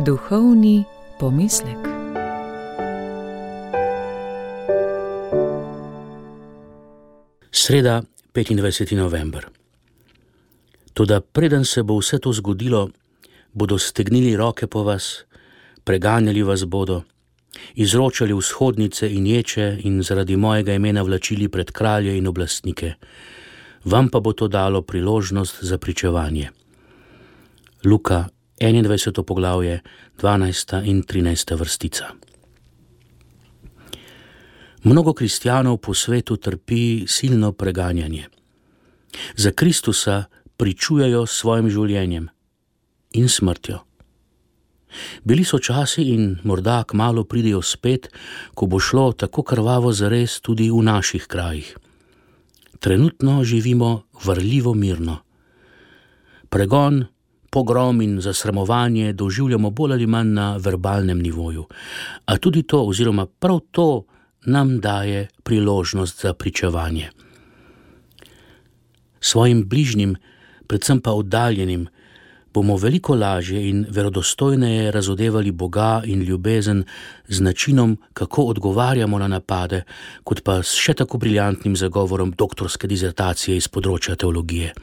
Duhovni pomislek. Sreda, 25. november. Toda preden se bo vse to zgodilo, bodo stegnili roke po vas, preganjali vas bodo, izročali vzhodnice in ječe in zaradi mojega imena vlačili pred kralje in oblastnike. Vam pa bo to dalo priložnost za pričevanje. Luka, 21. poglavje, 12. in 13. vrstica. Mnogo kristjanov po svetu trpi silno preganjanje. Za Kristusa pričujejo s svojim življenjem in smrtjo. Bili so časi in morda kmalu pridejo spet, ko bo šlo tako krvavo zares tudi v naših krajih. Trenutno živimo varljivo mirno. Pregon, pogrom in zasramovanje doživljamo bolj ali manj na verbalnem nivoju, a tudi to oziroma prav to nam daje priložnost za pričevanje. Svojim bližnjim, predvsem pa oddaljenim, bomo veliko lažje in verodostojneje razodevali Boga in ljubezen z načinom, kako odgovarjamo na napade, kot pa s še tako briljantnim zagovorom doktorske dizertacije iz področja teologije.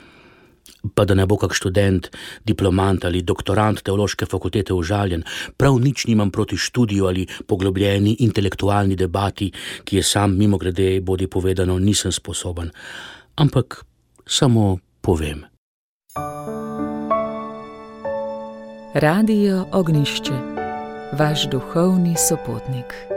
Pa da ne bo kak študent, diplomant ali doktorant teološke fakultete užaljen, prav nič nimam proti študiju ali poglobljeni intelektualni debati, ki je sam mimogrede bodi povedano nisem sposoben, ampak samo povem. Radio Ognjišče, vaš duhovni sopotnik.